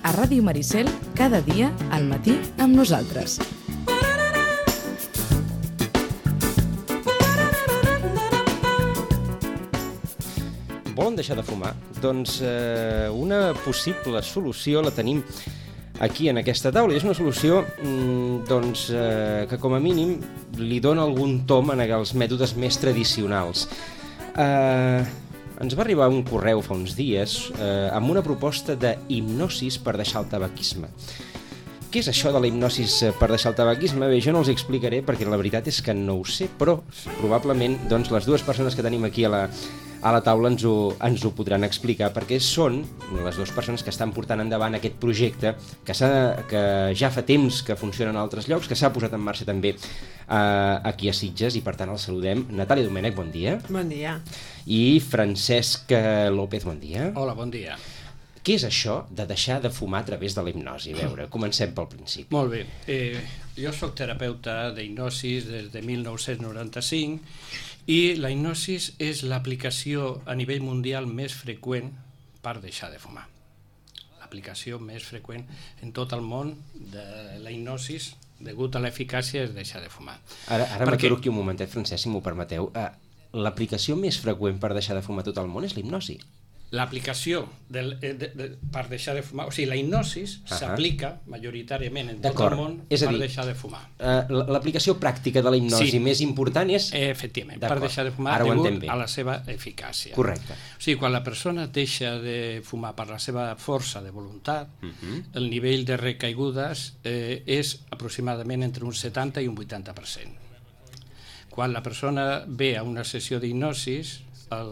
a Ràdio Maricel, cada dia, al matí, amb nosaltres. Volen deixar de fumar? Doncs una possible solució la tenim aquí en aquesta taula. És una solució que com a mínim li dona algun tom als mètodes més tradicionals. Ens va arribar un correu fa uns dies amb una proposta de hipnosis per deixar el tabaquisme. Què és això de la hipnosis per deixar el tabaquisme? Bé, jo no els explicaré perquè la veritat és que no ho sé, però probablement les dues persones que tenim aquí a la taula ens ho podran explicar, perquè són les dues persones que estan portant endavant aquest projecte que ja fa temps que funciona en altres llocs, que s'ha posat en marxa també aquí a Sitges, i per tant el saludem. Natàlia Domènech, bon dia. Bon dia. I Francesc López, bon dia. Hola, bon dia. Què és això de deixar de fumar a través de la hipnosi? A veure, comencem pel principi. Molt bé. Jo soc terapeuta d'hipnosis des de 1995 i la hipnosis és l'aplicació a nivell mundial més freqüent per deixar de fumar. L'aplicació més freqüent en tot el món de la hipnosis degut a l'eficàcia és deixar de fumar. Ara m'aturo aquí un momentet, Francesc, si m'ho permeteu. L'aplicació més freqüent per deixar de fumar a tot el món és la hipnosi. L'aplicació per deixar de fumar, o sigui, la hipnosis s'aplica majoritàriament en tot el món per deixar de fumar. L'aplicació pràctica de la hipnosi més important és... Efectivament, per deixar de fumar degut a la seva eficàcia. Correcte. O sigui, quan la persona deixa de fumar per la seva força de voluntat, el nivell de recaigudes és aproximadament entre un 70 i un 80%. Quan la persona ve a una sessió d'hipnosis, el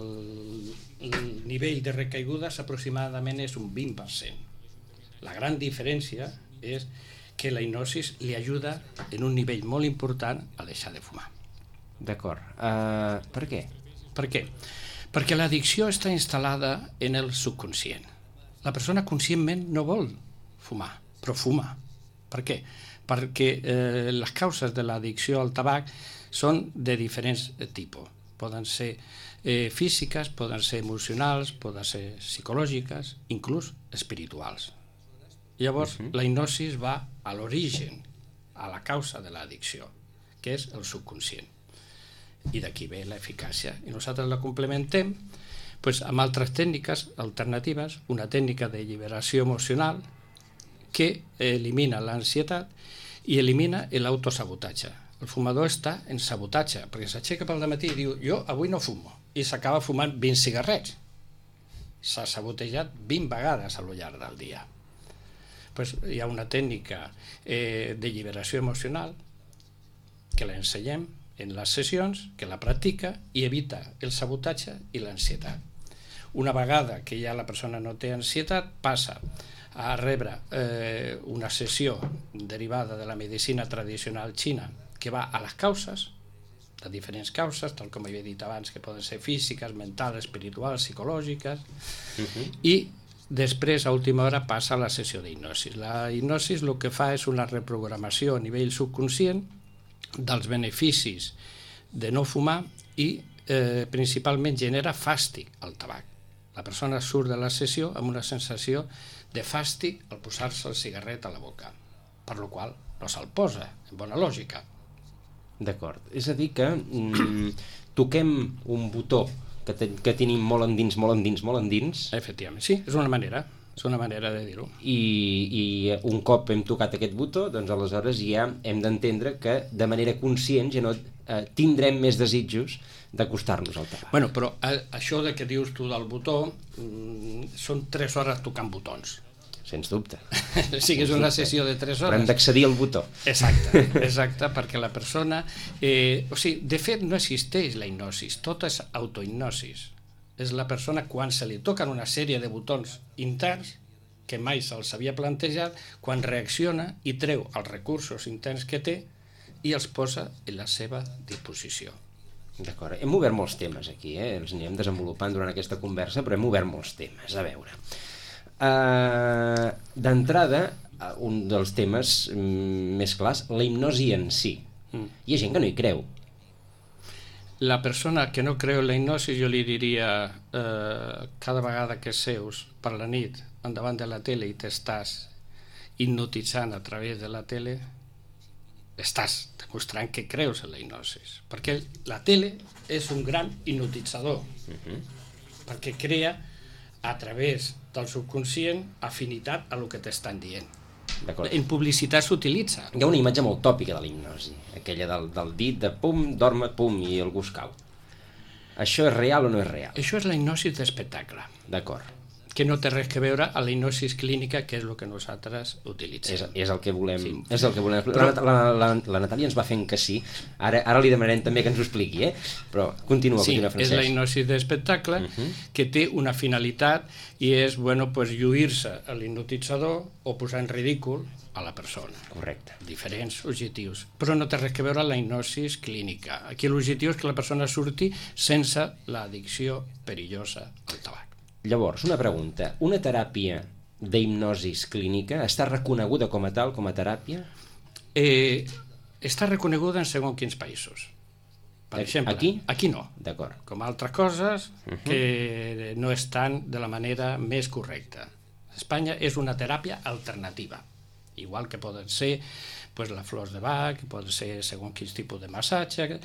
nivell de recaigudes aproximadament és un 20%. La gran diferència és que la hipnosis li ajuda en un nivell molt important a deixar de fumar. D'acord. Per què? Per què? Perquè l'addicció està instal·lada en el subconscient. La persona conscientment no vol fumar, però fuma. Per què? Perquè les causes de l'addicció al tabac són de diferents tipus. Poden ser físiques, poden ser emocionals, poden ser psicològiques, inclús espirituals. Llavors, la hipnosis va a l'origen, a la causa de l'addicció, que és el subconscient. I d'aquí ve l'eficàcia. I nosaltres la complementem amb altres tècniques alternatives, una tècnica de lliberació emocional que elimina l'ansietat i elimina l'autosabotatge. El fumador està en sabotatge, perquè s'aixeca pel dematí i diu jo avui no fumo, i s'acaba fumant 20 cigarrets. S'ha sabotejat 20 vegades al llarg del dia. Hi ha una tècnica de lliberació emocional que l'ensenyem en les sessions, que la practica i evita el sabotatge i l'ansietat. Una vegada que ja la persona no té ansietat, passa a rebre una sessió derivada de la medicina tradicional xina que va a les causes, de diferents causes, tal com havia dit abans, que poden ser físiques, mentals, espirituals, psicològiques, i després, a última hora, passa a la sessió d'hipnosis. La hipnosis el que fa és una reprogramació a nivell subconscient dels beneficis de no fumar i principalment genera fàstic al tabac. La persona surt de la sessió amb una sensació de fàstic al posar-se el cigarret a la boca, per la qual no se'l posa, en bona lògica. D'acord. És a dir que toquem un botó que tenim molt endins. Efectivament, sí, és una manera de dir-ho. I un cop hem tocat aquest botó, doncs aleshores ja hem d'entendre que de manera conscient ja no tindrem més desitjos d'acostar-nos al tabac. Bueno, però això de que dius tu del botó són 3 hores tocant botons. Sens dubte. Sí que és una sessió de 3 hores. Però hem d'accedir al botó. Exacte, perquè la persona... de fet, no existeix la hipnosis, tot és autohipnosis. És la persona quan se li toquen una sèrie de botons interns que mai se'ls havia plantejat, quan reacciona i treu els recursos interns que té i els posa en la seva disposició. D'acord. Hem obert molts temes aquí, els anirem desenvolupant durant aquesta conversa, però hem obert molts temes. A veure... D'entrada, un dels temes més clars, la hipnosi en si. Hi ha gent que no hi creu. la persona que no creu en la hipnosi, jo li diria cada vegada que seus per la nit endavant de la tele i t'estàs hipnotitzant a través de la tele, estàs demostrant que creus en la hipnosi, perquè la tele és un gran hipnotitzador, perquè crea a través del subconscient afinitat a lo que t'estan dient. En publicitat s'utilitza. Hi ha una imatge molt tòpica de la hipnosi, aquella del dit de pum, dorm, pum, i algú es cau. Això és real o no és real? Això és la hipnosi d'espectacle. D'acord. Que no té res que veure amb la hipnosi clínica, que és el que nosaltres utilitzem. És el que volem. Sí. És el que volem. La Natàlia ens va fent que sí. Ara li demanarem també que ens ho expliqui, Però continua, Francesc. És la hipnosi d'espectacle que té una finalitat i és, lluir-se a l'hipnotitzador o posar en ridícul a la persona. Correcte. Diferents objectius. Però no té res que veure amb la hipnosi clínica. Aquí l'objectiu és que la persona surti sense l'addicció perillosa al tabac. Llavors, una pregunta. Una teràpia d'hipnosi clínica està reconeguda com a tal, com a teràpia? Està reconeguda en segons quins països. Per exemple, aquí no. D'acord. Com altres coses que no estan de la manera més correcta. Espanya és una teràpia alternativa, igual que poden ser les flors de Bach, poden ser segons quins tipus de massatge,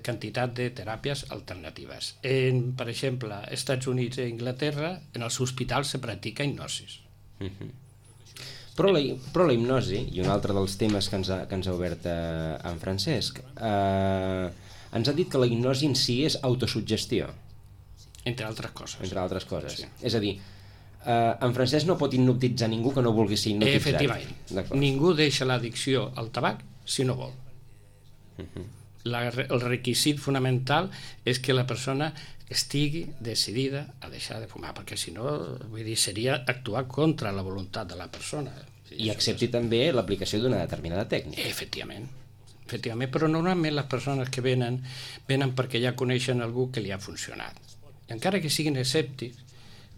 quantitat de teràpies alternatives. Per exemple, als Estats Units i Anglaterra, en els hospitals se practica hipnosi. Però la hipnosi, i un altre dels temes que ens ha obert en Francesc, ens ha dit que la hipnosi en si és autosuggestió. Entre altres coses. Entre altres coses. Sí. És a dir, en Francesc no pot hipnotitzar ningú que no vulgui ser hipnotitzat. Efectivament. Ningú deixa l'addicció al tabac si no vol. El requisit fonamental és que la persona estigui decidida a deixar de fumar, perquè si no, seria actuar contra la voluntat de la persona. I accepti també l'aplicació d'una determinada tècnica. Efectivament, però normalment les persones que venen perquè ja coneixen algú que li ha funcionat. I encara que siguin escèptics,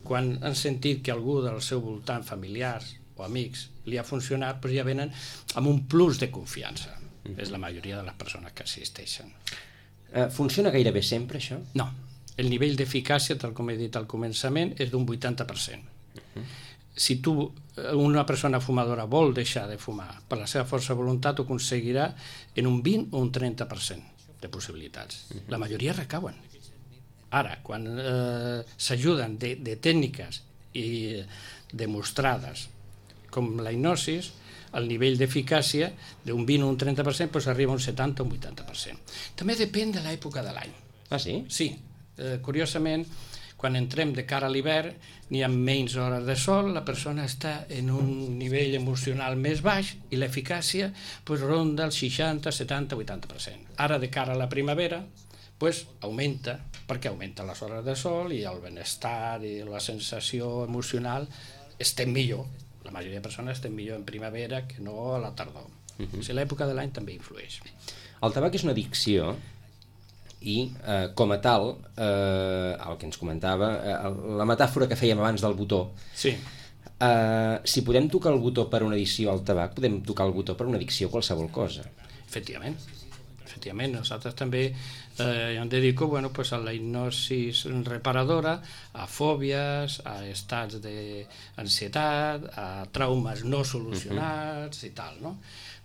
quan han sentit que algú del seu voltant, familiars o amics, li ha funcionat, ja venen amb un plus de confiança. És la majoria de les persones que assisteixen. Funciona gairebé sempre, això? No. El nivell d'eficàcia, tal com he dit al començament, és d'un 80%. Si una persona fumadora vol deixar de fumar per la seva força de voluntat, ho aconseguirà en un 20 o un 30% de possibilitats. La majoria recauen. Ara, quan s'ajuden de tècniques demostrades com la hipnosi, el nivell d'eficàcia d'un 20 o un 30% arriba a un 70 o un 80%. També depèn de l'època de l'any. Ah, sí? Sí. Curiosament, quan entrem de cara a l'hivern, n'hi ha menys hores de sol, la persona està en un nivell emocional més baix i l'eficàcia ronda el 60, 70, 80%. Ara, de cara a la primavera, augmenta, perquè augmenten les hores de sol i el benestar i la sensació emocional estem millor. La majoria de persones estem millor en primavera que no a la tardor. L'època de l'any també influeix. El tabac és una addicció i, com a tal, el que ens comentava, la metàfora que fèiem abans del botó, si podem tocar el botó per una addicció al tabac, podem tocar el botó per una addicció a qualsevol cosa. Efectivament. Nosaltres també em dedico a la hipnosi reparadora, a fòbies, a estats d'ansietat, a traumes no solucionats i tal, no?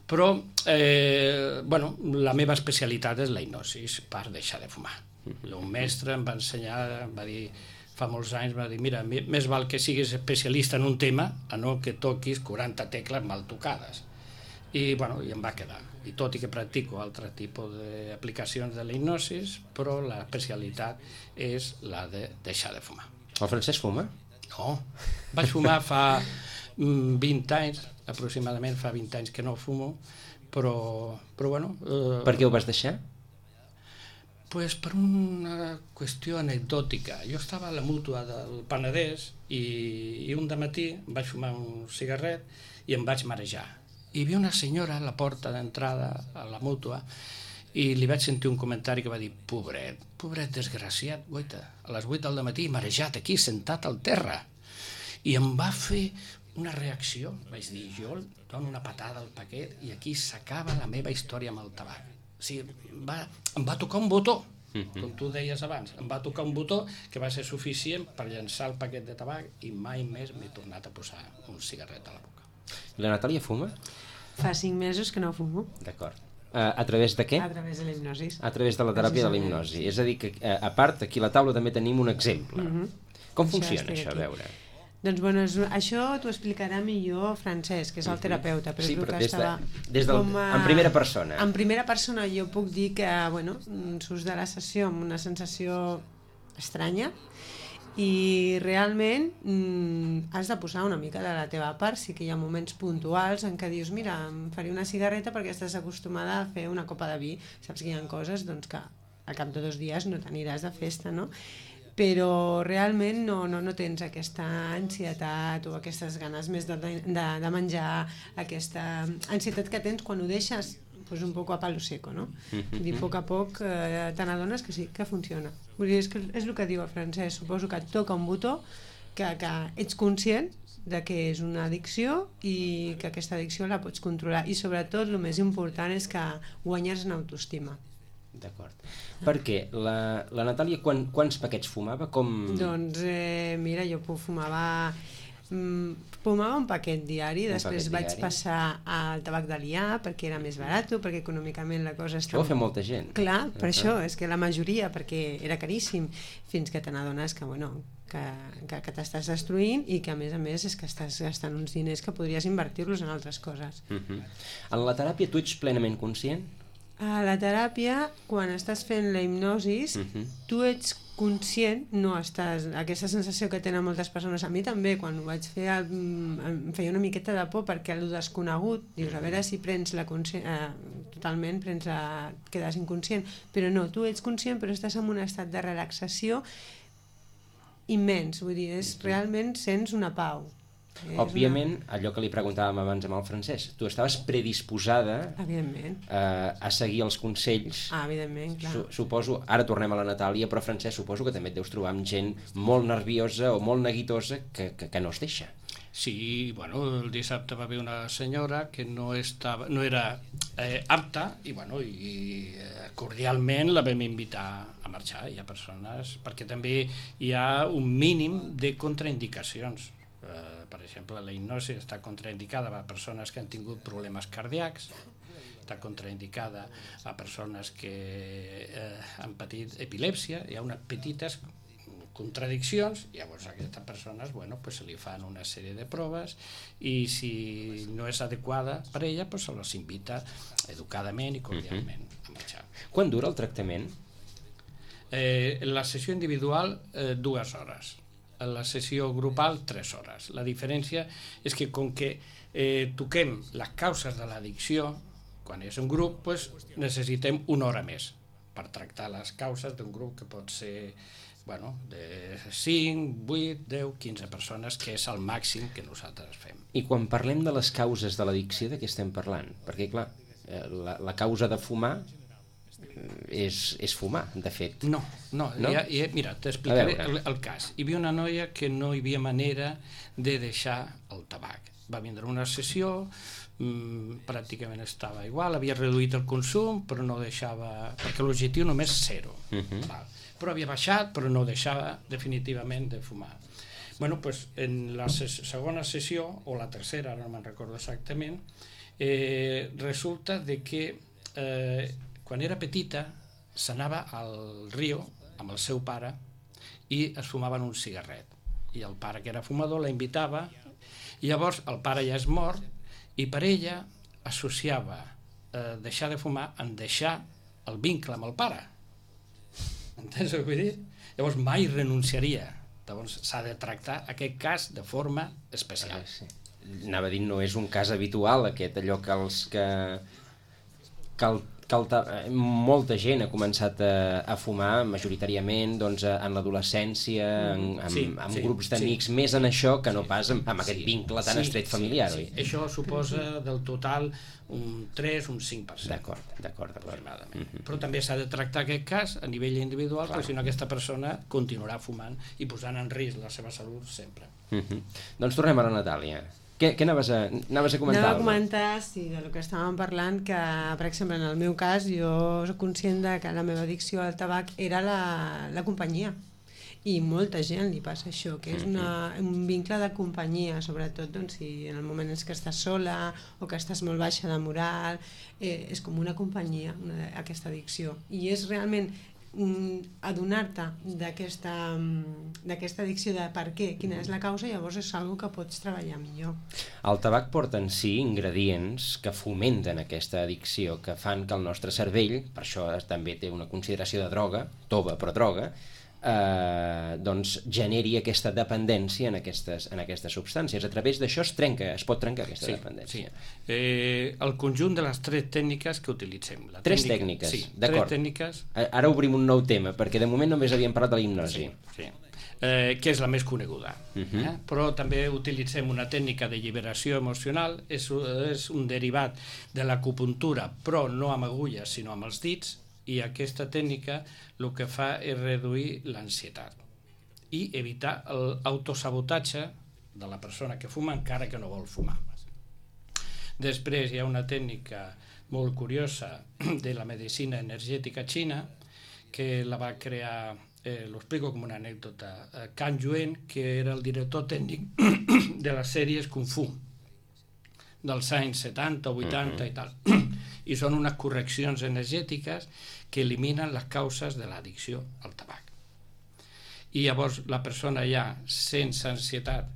Però la meva especialitat és la hipnosi per deixar de fumar. Un mestre em va ensenyar, em va dir fa molts anys, va dir, mira, més val que siguis especialista en un tema a no que toquis 40 tecles mal tocades. I em va quedar. I tot i que practico altre tipus d'aplicacions de la hipnosi, però l'especialitat és la de deixar de fumar. El Francesc fuma? No, vaig fumar fa 20 anys, aproximadament fa 20 anys que no fumo, però bueno... Per què ho vas deixar? Per una qüestió anecdòtica. Jo estava a la mútua del Penedès i un dematí vaig fumar un cigarret i em vaig marejar. Hi havia una senyora a la porta d'entrada a la mútua i li vaig sentir un comentari que va dir pobret desgraciat, guaita, a les 8 del matí marejat aquí, sentat al terra. I em va fer una reacció, vaig dir, jo dono una patada al paquet i aquí s'acaba la meva història amb el tabac. O sigui, em va tocar un botó. Com tu deies abans, em va tocar un botó que va ser suficient per llançar el paquet de tabac i mai més m'he tornat a posar un cigarret a la boca. La Natàlia fuma? Fa 5 mesos que no fumo. D'acord. A través de què? A través de la hipnosi. A través de la teràpia de la hipnosi. És a dir, que a part, aquí a la taula també tenim un exemple. Com funciona això, a veure? Doncs bueno, això t'ho explicarà millor Francesc, que és el terapeuta. Però sí, és però que en primera persona. En primera persona jo puc dir que surts de la sessió amb una sensació estranya i realment has de posar una mica de la teva part. Sí que hi ha moments puntuals en què dius, mira, em faré una cigarreta perquè estàs acostumada a fer una copa de vi. Saps que hi ha coses doncs, que al cap de 2 dies no t'aniràs de festa, no? Però realment no tens aquesta ansietat o aquestes ganes més de menjar, aquesta ansietat que tens quan ho deixes pues un poc a palo seco, no? I a poc te n'adones que sí, que funciona. Vull dir, és el que diu el Francesc, suposo que et toca un botó que ets conscient de que és una addicció i que aquesta addicció la pots controlar i sobretot el més important és que guanyes en autoestima. D'acord. Perquè la Natàlia quants paquets fumava? Doncs mira, jo fumava un paquet diari, després vaig passar al tabac d'aliar perquè era més barat, perquè econòmicament la cosa estava... Això ho fa molta gent. Clar, per això, és que la majoria, perquè era caríssim, fins que te n'adones que, que t'estàs destruint i que a més és que estàs gastant uns diners que podries invertir-los en altres coses. En la teràpia tu ets plenament conscient? A la teràpia, quan estàs fent la hipnosi, tu ets conscient, no estàs... Aquesta sensació que tenen moltes persones, a mi també, quan ho vaig fer, em feia una miqueta de por perquè el desconegut, dius, a veure si prens la totalment quedes inconscient, però no, tu ets conscient però estàs en un estat de relaxació immens, vull dir, realment sents una pau. Òbviament, allò que li preguntàvem abans amb el Francesc, tu estaves predisposada a seguir els consells. Evidentment, clar. Suposo, ara tornem a la Natàlia, però Francesc, suposo que també et deus trobar amb gent molt nerviosa o molt neguitosa que no es deixa. Sí, bueno, el dissabte va haver una senyora que no era apta i cordialment la vam invitar a marxar. Hi ha persones, perquè també hi ha un mínim de contraindicacions. Per exemple, la hipnosi està contraindicada a persones que han tingut problemes cardíacs, està contraindicada a persones que han patit epilèpsia, hi ha unes petites contradiccions, llavors a aquestes persones se li fan una sèrie de proves i si no és adequada per ella se les invita educadament i cordialment a marxar. Quant dura el tractament? La sessió individual 2 hores, la sessió grupal 3 hores. La diferència és que com que toquem les causes de l'addicció, quan és un grup necessitem 1 hora més per tractar les causes d'un grup que pot ser de 5, 8, 10, 15 persones, que és el màxim que nosaltres fem. I quan parlem de les causes de l'addicció, de què estem parlant? Perquè clar, la causa de fumar és fumar, de fet. No? Mira, t'explicaré el cas. Hi havia una noia que no hi havia manera de deixar el tabac. Va vindre una sessió, pràcticament estava igual, havia reduït el consum, però no deixava... perquè l'objectiu només 0. Però havia baixat, però no deixava definitivament de fumar. En la segona sessió, o la tercera, ara no me'n recordo exactament, resulta de que quan era petita s'anava al riu amb el seu pare i es fumaven un cigarret i el pare, que era fumador, la invitava i llavors el pare ja és mort i per ella associava deixar de fumar en deixar el vincle amb el pare. Entens el que vull dir? Llavors mai renunciaria. Llavors s'ha de tractar aquest cas de forma especial. Anava a dir, no és un cas habitual aquest, allò que molta gent ha començat a fumar majoritàriament en l'adolescència, amb grups d'amics, més en això que no pas amb aquest vincle tan estret familiar. Això suposa del total un 3, un 5%. D'acord. Però també s'ha de tractar aquest cas a nivell individual, perquè si no aquesta persona continuarà fumant i posant en risc la seva salut sempre. Doncs tornem a la Natàlia. Què anaves a comentar? Anava a comentar, sí, del que estàvem parlant, que, per exemple, en el meu cas, jo soc conscient de que la meva addicció al tabac era la companyia. I molta gent li passa això, que és un vincle de companyia, sobretot doncs, si en el moment en què estàs sola o que estàs molt baixa de moral, és com una companyia, aquesta addicció. I és realment adonar-te d'aquesta addicció, de per què, quina és la causa, llavors és una que pots treballar millor. El tabac porta en si ingredients que fomenten aquesta addicció, que fan que el nostre cervell, per això també té una consideració de droga, tova però droga, doncs generi aquesta dependència en aquestes substàncies. A través d'això es pot trencar aquesta dependència. Sí. El conjunt de les 3 tècniques que utilitzem. Tres tècniques, sí, d'acord. 3 tècniques. Ara obrim un nou tema, perquè de moment només havíem parlat de la hipnosi. Sí. Que és la més coneguda. Però també utilitzem una tècnica de lliberació emocional, és un derivat de l'acupuntura, però no amb agulles, sinó amb els dits, i aquesta tècnica el que fa és reduir l'ansietat i evitar l'autosabotatge de la persona que fuma encara que no vol fumar. Després hi ha una tècnica molt curiosa de la medicina energètica xina que la va crear, lo explico com una anècdota, Kang Yuen, que era el director tècnic de les sèries Kung Fu dels anys 70, 80 i tal. I són unes correccions energètiques que eliminen les causes de l'addicció al tabac. I llavors la persona ja, sense ansietat,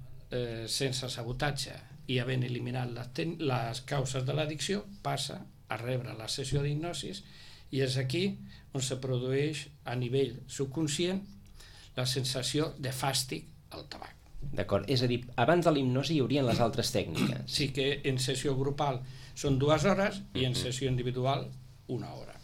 sense sabotatge i havent eliminat les causes de l'addicció, passa a rebre la sessió d'hipnosis i és aquí on se produeix a nivell subconscient la sensació de fàstic al tabac. D'acord, és a dir, abans de l'hipnosi hi haurien les altres tècniques. Sí, que en sessió grupal són 2 hores i en sessió individual 1 hora.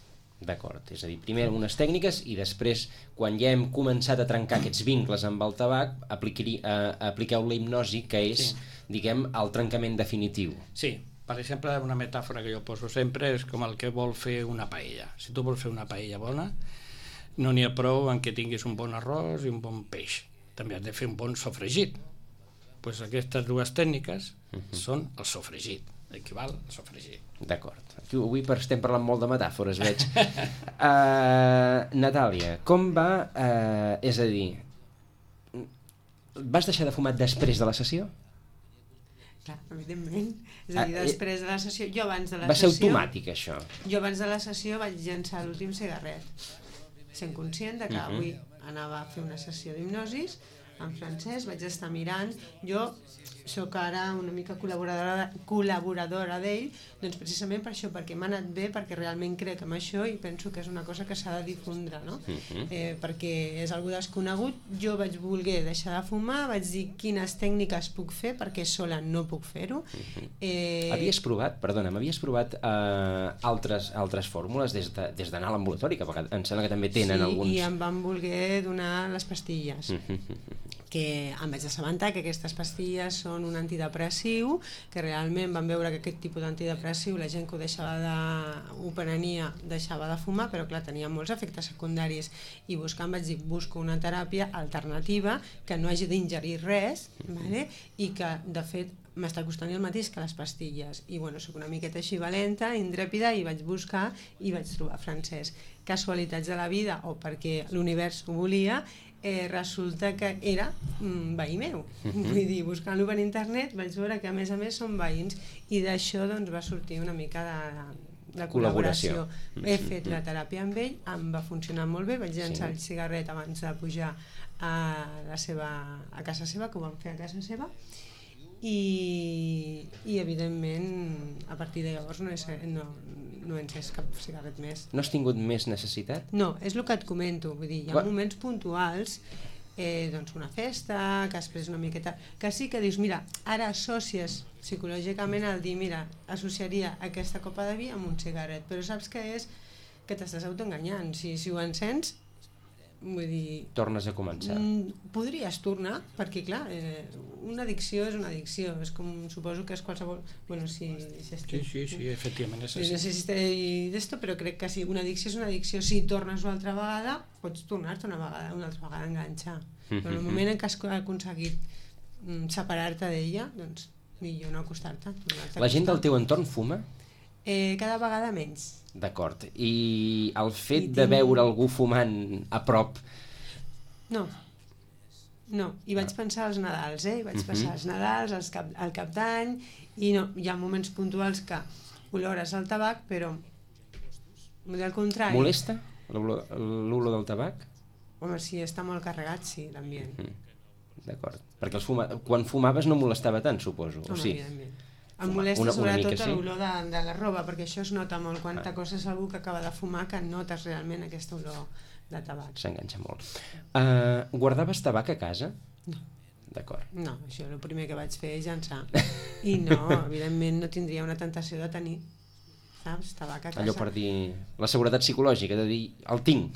D'acord, és a dir, primer unes tècniques i després, quan ja hem començat a trencar aquests vincles amb el tabac, apliqueu la hipnosi, que és, diguem, el trencament definitiu. Sí, per exemple, una metàfora que jo poso sempre és com el que vol fer una paella. Si tu vols fer una paella bona, no n'hi ha prou en que tinguis un bon arròs i un bon peix. També has de fer un bon sofregit. Pues aquestes 2 tècniques són el sofregit, equival al sofregit. D'acord. Avui estem parlant molt de metàfores, veig. Natàlia, com va... és a dir, vas deixar de fumar després de la sessió? Clar, evidentment. És a dir, després de la sessió... Jo abans de la va ser sessió... automàtic, això? Jo abans de la sessió vaig llançar l'últim cigarret, sent conscient de que avui anava a fer una sessió d'hipnosis en francès, vaig estar mirant. Jo sóc ara una mica col·laboradora d'ell, doncs precisament per això, perquè m'ha anat bé, perquè realment crec en això i penso que és una cosa que s'ha de difondre, no? Perquè és algo desconegut. Jo vaig voler deixar de fumar, vaig dir quines tècniques puc fer, perquè sola no puc fer-ho. Havies provat altres fórmules des d'anar a l'ambulatori, que em sembla que també tenen alguns... Sí, i em van voler donar les pastilles, que em vaig assabentar que aquestes pastilles són un antidepressiu, que realment van veure que aquest tipus d'antidepressiu la gent que ho prenia deixava de fumar, però clar, tenia molts efectes secundaris, i buscant vaig dir, busco una teràpia alternativa que no hagi d'ingerir res, vale? I que de fet m'està costant el mateix que les pastilles, i bueno, soc una miqueta així valenta, intrèpida, i vaig buscar i vaig trobar francès. Casualitats de la vida, o perquè l'univers ho volia, resulta que era veí meu. Vull dir, buscant-lo per internet vaig veure que a més són veïns, i d'això doncs va sortir una mica de col·laboració. He fet la teràpia amb ell, em va funcionar molt bé, vaig llançar el cigarret abans de pujar a casa seva, que ho vam fer a casa seva, i evidentment a partir de llavors no he encès cap cigarret més. No has tingut més necessitat? No, és el que et comento, vull dir, hi ha moments puntuals, doncs una festa, que després una miqueta, que sí que dius, mira, ara associes psicològicament al dir, mira, associaria aquesta copa de vi amb un cigarret, però saps que és que t'estàs autoenganyant, si ho encens, vull dir... Tornes a començar. Podries tornar, perquè clar, una addicció és una addicció, és com, suposo que és qualsevol... Bueno, sí, efectivament és així. No sé si estic d'esto, però crec que sí, una addicció és una addicció. Si tornes una altra vegada, pots tornar-te una altra vegada a enganxar. Però en el moment en què has aconseguit separar-te d'ella, doncs millor no acostar-te. La gent del teu entorn fuma? Cada vegada menys. D'acord. I el fet de veure algú fumant a prop... No. I vaig pensar als Nadals, Vaig passar els Nadals, al Cap d'Any, i no, hi ha moments puntuals que olores el tabac, però al contrari. Molesta l'olor del tabac? Home, si està molt carregat, sí, l'ambient. D'acord. Perquè quan fumaves no molestava tant, suposo. Home, o sí? evidentment. Em molesta sobretot l'olor de la roba, perquè això es nota molt quan t'acostes a algú que acaba de fumar, que notes realment aquesta olor de tabac. S'enganxa molt. Guardaves tabac a casa? No. D'acord. No, això el primer que vaig fer és llançar. I no, evidentment no tindria una tentació de tenir, saps, tabac a casa. Allò per dir la seguretat psicològica, de dir, el tinc.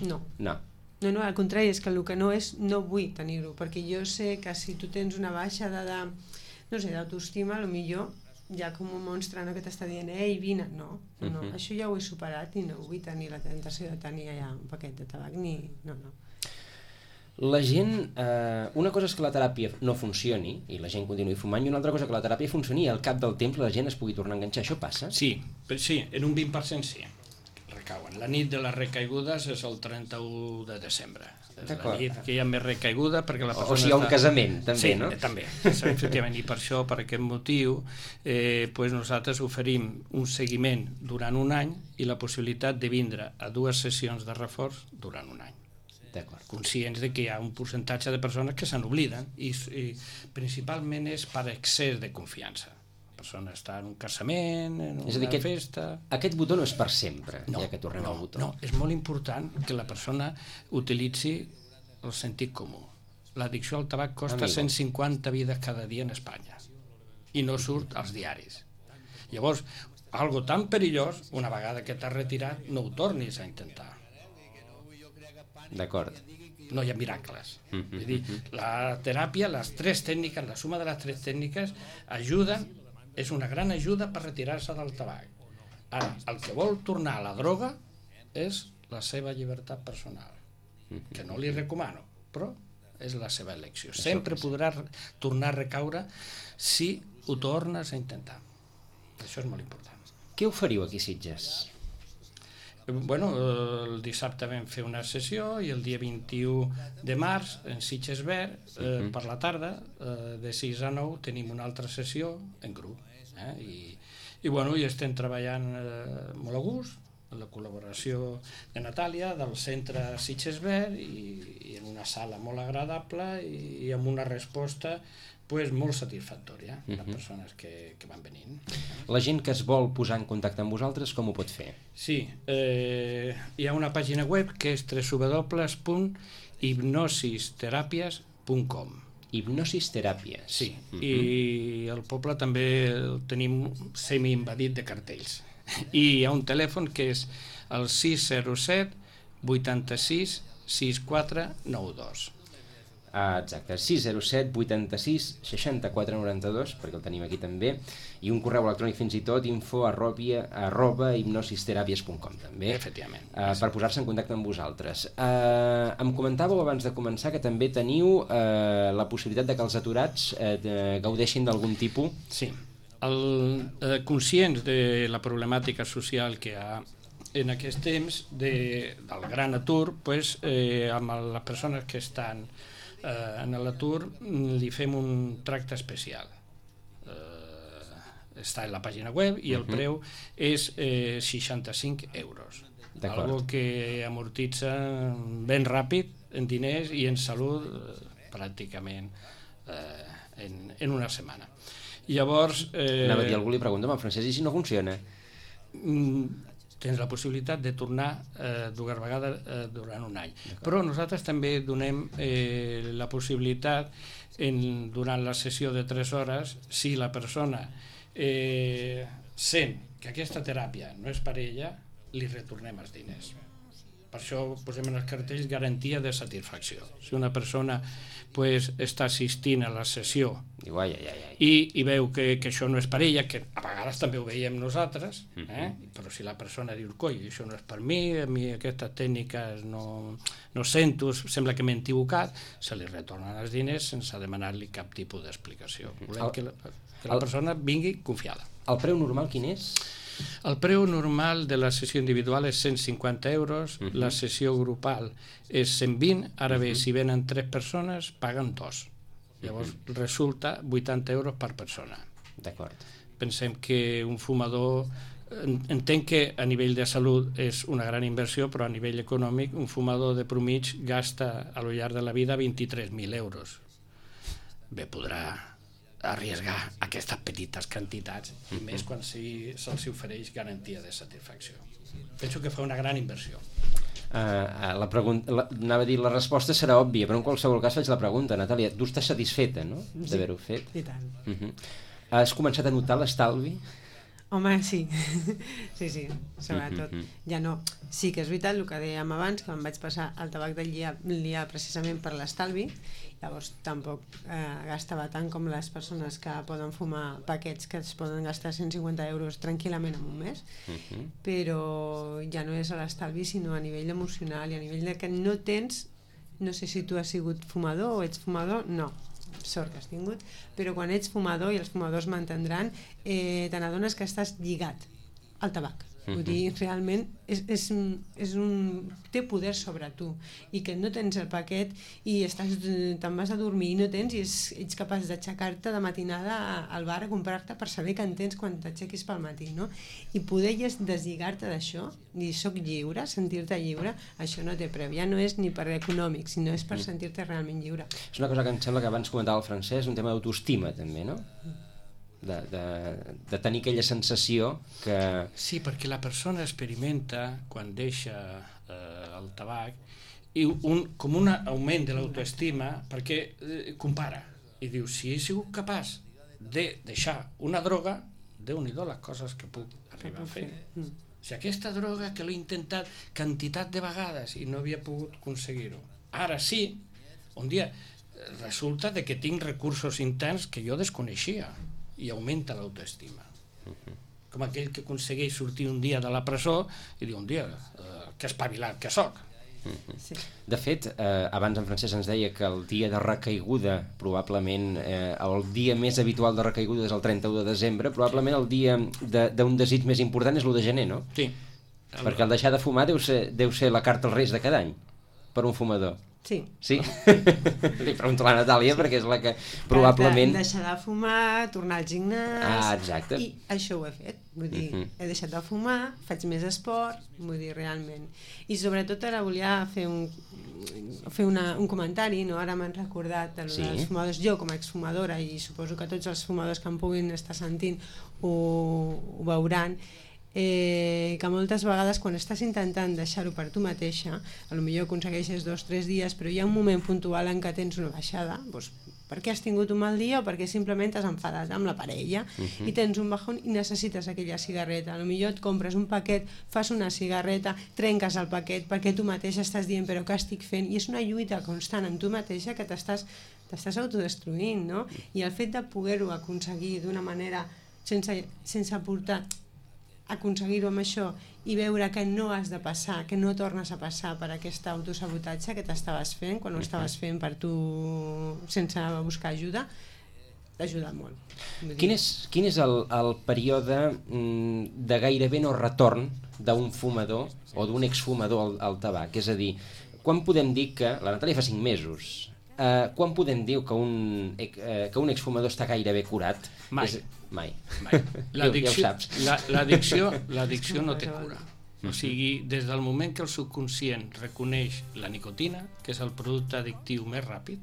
No. No. No, al contrari, és que el que no és, no vull tenir-ho, perquè jo sé que si tu tens una baixa no sé, d'autoestima, potser hi ha com un monstre que t'està dient ei, vine, no, això ja ho he superat i no vull tenir la tentació de tenir allà un paquet de tabac, no. La gent, una cosa és que la teràpia no funcioni i la gent continuï fumant, i una altra cosa que la teràpia funcioni i al cap del temps la gent es pugui tornar a enganxar. Això passa? Sí, en un 20% sí. Recauen. La nit de les recaigudes és el 31 de desembre. És la nit que hi ha més recaiguda perquè la persona... O sigui, un casament, també, no? Sí, també, efectivament. I per això, per aquest motiu, nosaltres oferim un seguiment durant un any i la possibilitat de vindre a 2 sessions de reforç durant un any. Conscients de que hi ha un percentatge de persones que se n'obliden i principalment és per excés de confiança. La persona està en un casament, en una festa... Aquest botó no és per sempre, ja que tornem al botó. No, és molt important que la persona utilitzi el sentit comú. L'addicció al tabac costa 150 vides cada dia en Espanya i no surt als diaris. Llavors, algo tan perillós, una vegada que t'has retirat, no ho tornis a intentar. D'acord. No hi ha miracles. És dir, la teràpia, les 3 tècniques, la suma de les 3 tècniques ajuden, és una gran ajuda per retirar-se del tabac. Ara, el que vol tornar a la droga és la seva llibertat personal, que no li recomano, però és la seva elecció. Sempre podrà tornar a recaure si ho tornes a intentar. Això és molt important. Què oferiu aquí a Sitges? El dissabte vam fer una sessió i el dia 21 de març en Sitges Verd per la tarda de 6 a 9 tenim una altra sessió en grup i estem treballant molt a gust amb la col·laboració de Natàlia del centre Sitges Verd i en una sala molt agradable i amb una resposta molt satisfactòria de persones que van venint. La gent que es vol posar en contacte amb vosaltres, com ho pot fer? Sí, hi ha una pàgina web que és www.hipnosisterapias.com. Hipnosisteràpies. Sí, i el poble també el tenim semi-invadit de cartells. I hi ha un telèfon que és el 607 86 6492. Exacte, 607 86 64 92, perquè el tenim aquí també, i un correu electrònic fins i tot, info@hipnosisteràpies.com també, efectivament, per posar-se en contacte amb vosaltres. Em comentàveu abans de començar que també teniu la possibilitat de que els aturats gaudeixin d'algun tipus. Sí, conscients de la problemàtica social que hi ha en aquest temps del gran atur, amb les persones que estan en l'atur li fem un tracte especial. Està en la pàgina web i el preu és 65 euros. Algo que amortitza ben ràpid en diners i en salut pràcticament en una setmana. Llavors... Anava a dir, algú li pregunta, Francesc, i si no funciona? Tens la possibilitat de tornar 2 vegades durant un any. Però nosaltres també donem la possibilitat, durant la sessió de 3 hores, si la persona sent que aquesta teràpia no és per ella, li retornem els diners. Per això posem en els cartells garantia de satisfacció. Si una persona està assistint a la sessió Diu, ai. I veu que això no és per ella, que a vegades també ho veiem nosaltres, però si la persona diu, coi, això no és per mi, a mi aquestes tècniques no sento, sembla que m'he equivocat, se li retornen els diners sense demanar-li cap tipus d'explicació. Volem que la persona vingui confiada. El preu normal quin és? El preu normal de la sessió individual és 150 euros, la sessió grupal és 120, ara bé, si venen 3 persones, paguen 2. Llavors resulta 80 euros per persona. D'acord. Pensem que un fumador, entenc que a nivell de salut és una gran inversió, però a nivell econòmic un fumador de promig gasta a lo llarg de la vida 23.000 euros. Bé, podrà arriesgar aquestes petites quantitats, i més quan se'ls ofereix garantia de satisfacció. Penso que fa una gran inversió. Anava a dir, la resposta serà òbvia, però en qualsevol cas faig la pregunta, Natàlia, tu estàs satisfeta, no?, d'haver-ho fet? I tant. Has començat a notar l'estalvi? Home, sí. Sí, sobretot. Ja no. Sí que és veritat el que dèiem abans, que em vaig passar el tabac del liar precisament per l'estalvi, llavors tampoc gastava tant com les persones que poden fumar paquets que es poden gastar 150 euros tranquil·lament en un mes, però ja no és a l'estalvi sinó a nivell emocional i a nivell de que no tens, no sé si tu has sigut fumador o ets fumador, no, sort que has tingut, però quan ets fumador, i els fumadors m'entendran, te n'adones que estàs lligat al tabac. Vull dir, realment té poder sobre tu, i que no tens el paquet i te'n vas a dormir i no tens, i ets capaç d'aixecar-te de matinada al bar a comprar-te per saber que en tens quan t'aixequis pel matí, no? I poder deslligar-te d'això, dir soc lliure, sentir-te lliure, això no té preu, ja no és ni per econòmic, sinó és per sentir-te realment lliure. És una cosa que em sembla que abans comentava el Francesc, un tema d'autoestima també, no? De tenir aquella sensació que... Sí, perquè la persona experimenta, quan deixa el tabac, com un augment de l'autoestima, perquè compara i diu, si he sigut capaç de deixar una droga, Déu-n'hi-do les coses que puc arribar a fer. Si aquesta droga que l'he intentat quantitat de vegades i no havia pogut aconseguir-ho, ara sí, un dia resulta que tinc recursos interns que jo desconeixia, i augmenta l'autoestima. Com aquell que aconsegueix sortir un dia de la presó i diu un dia, que espavilat que soc. De fet, abans en Francesc ens deia que el dia de recaiguda, probablement el dia més habitual de recaiguda és el 31 de desembre, probablement el dia d'un desig més important és l'1 de gener, no? Sí. Perquè el deixar de fumar deu ser la carta als Reis de cada any, per un fumador. Sí. Sí? Li pregunto a la Natàlia, perquè és la que probablement... Deixar de fumar, tornar al gimnàs... exacte. I això ho he fet. Vull dir, he deixat de fumar, faig més esport, vull dir, realment. I sobretot ara volia fer un comentari, no? Ara m'han recordat dels fumadors. Jo, com a exfumadora, i suposo que tots els fumadors que em puguin estar sentint ho veuran, que moltes vegades quan estàs intentant deixar-ho per tu mateixa, potser aconsegueixes 2 o 3 dies, però hi ha un moment puntual en què tens una baixada, doncs perquè has tingut un mal dia o perquè simplement t'has enfadat amb la parella i tens un bajón i necessites aquella cigarreta. Potser et compres un paquet, fas una cigarreta, trenques el paquet perquè tu mateixa estàs dient però què estic fent, i és una lluita constant amb tu mateixa que t'estàs autodestruint, no? I el fet de poder-ho aconseguir d'una manera sense aconseguir-ho amb això i veure que no has de passar, que no tornes a passar per aquest autosabotatge que t'estaves fent quan ho estaves fent per tu sense buscar ajuda, t'ha ajudat molt. Quin és el període de gairebé no retorn d'un fumador o d'un exfumador al tabac? És a dir, quan podem dir que... La Natàlia fa 5 mesos. Quan podem dir que un exfumador està gairebé curat? Mai. L'addicció no té cura. O sigui, des del moment que el subconscient reconeix la nicotina, que és el producte addictiu més ràpid,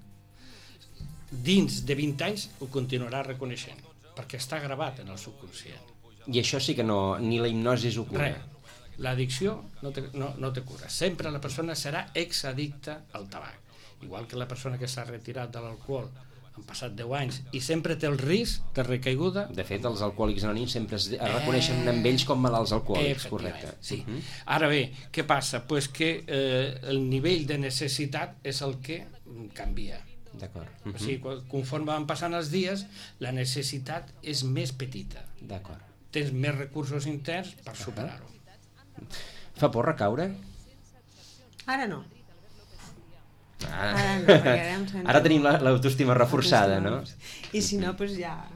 dins de 20 anys ho continuarà reconeixent, perquè està gravat en el subconscient. I això sí que no, ni la hipnosi ho cura. L'addicció no té cura. Sempre la persona serà exaddicta al tabac. Igual que la persona que s'ha retirat de l'alcohol han passat 10 anys i sempre té el risc de recaiguda. De fet, els alcohòlics anònims sempre es reconeixen amb ells com malalts alcohòlics, correcte. Sí. Ara bé, què passa? Pues que el nivell de necessitat és el que canvia. D'acord. O sigui, conforme van passant els dies, la necessitat és més petita. D'acord. Tens més recursos interns per superar-ho. Fa por recaure? Ara no. Ah. Ara no, perquè ara em sento... Ara tenim l'autoestima reforçada, no? I si no, doncs ja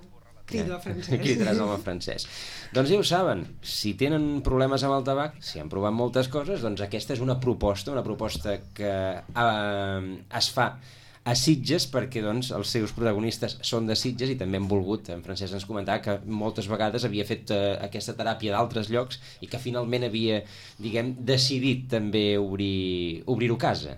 crido a francès. Cridaràs home francès. Doncs ja ho saben, si tenen problemes amb el tabac, si han provat moltes coses, doncs aquesta és una proposta que es fa a Sitges, perquè doncs, els seus protagonistes són de Sitges i també han volgut, en Francesc ens comentava que moltes vegades havia fet aquesta teràpia d'altres llocs i que finalment havia, diguem, decidit també obrir-ho a casa.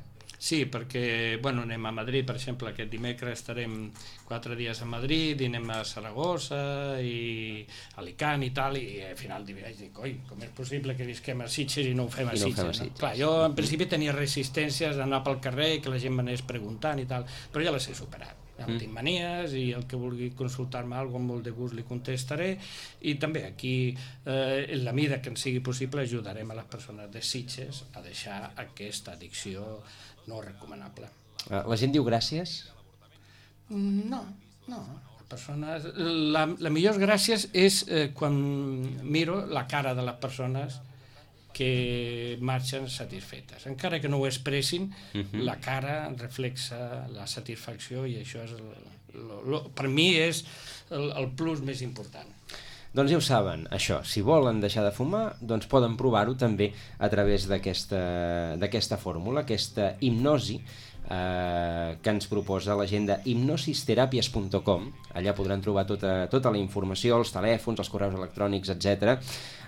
Sí, perquè anem a Madrid, per exemple, aquest dimecres estarem 4 dies a Madrid, i anem a Saragossa i Alicant i tal, i al final dic, com és possible que visquem a Sitges i no ho fem a Sitges? No? Clar, jo en principi tenia resistències d'anar pel carrer, que la gent m'anés preguntant i tal, però ja les he superat. Ja no tinc manies i el que vulgui consultar-me alguna cosa amb molt de gust li contestaré, i també aquí en la mida que ens sigui possible ajudarem a les persones de Sitges a deixar aquesta addicció no recomanable. La gent diu gràcies? No. La millor gràcies és quan miro la cara de les persones que marxen satisfetes. Encara que no ho expressin, la cara reflexa la satisfacció, i això és per mi és el plus més important. Doncs ja ho saben, això, si volen deixar de fumar, doncs poden provar-ho també a través d'aquesta fórmula, aquesta hipnosi que ens proposa la gent de hipnosisterapies.com. Allà podran trobar tota la informació, els telèfons, els correus electrònics, etc.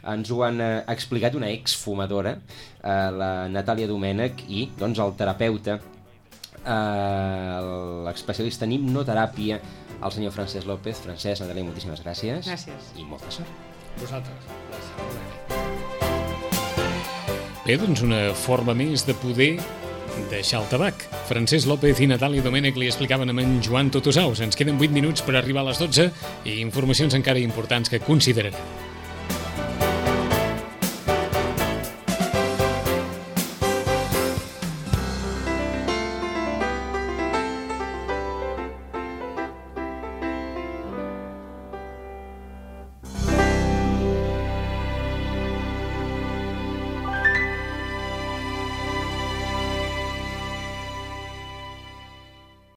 Ens ho han explicat una exfumadora, la Natàlia Domènech, i doncs el terapeuta, l'especialista en hipnoteràpia, el senyor Francesc López. Francesc, Natàlia, moltíssimes gràcies. Gràcies. I molta sort. Vosaltres. Bé, doncs una forma més de poder deixar el tabac. Francesc López i Natàlia Domènech li explicaven amb en Joan Totosaus. Ens queden 8 minuts per arribar a les 12 i informacions encara importants que considerarem.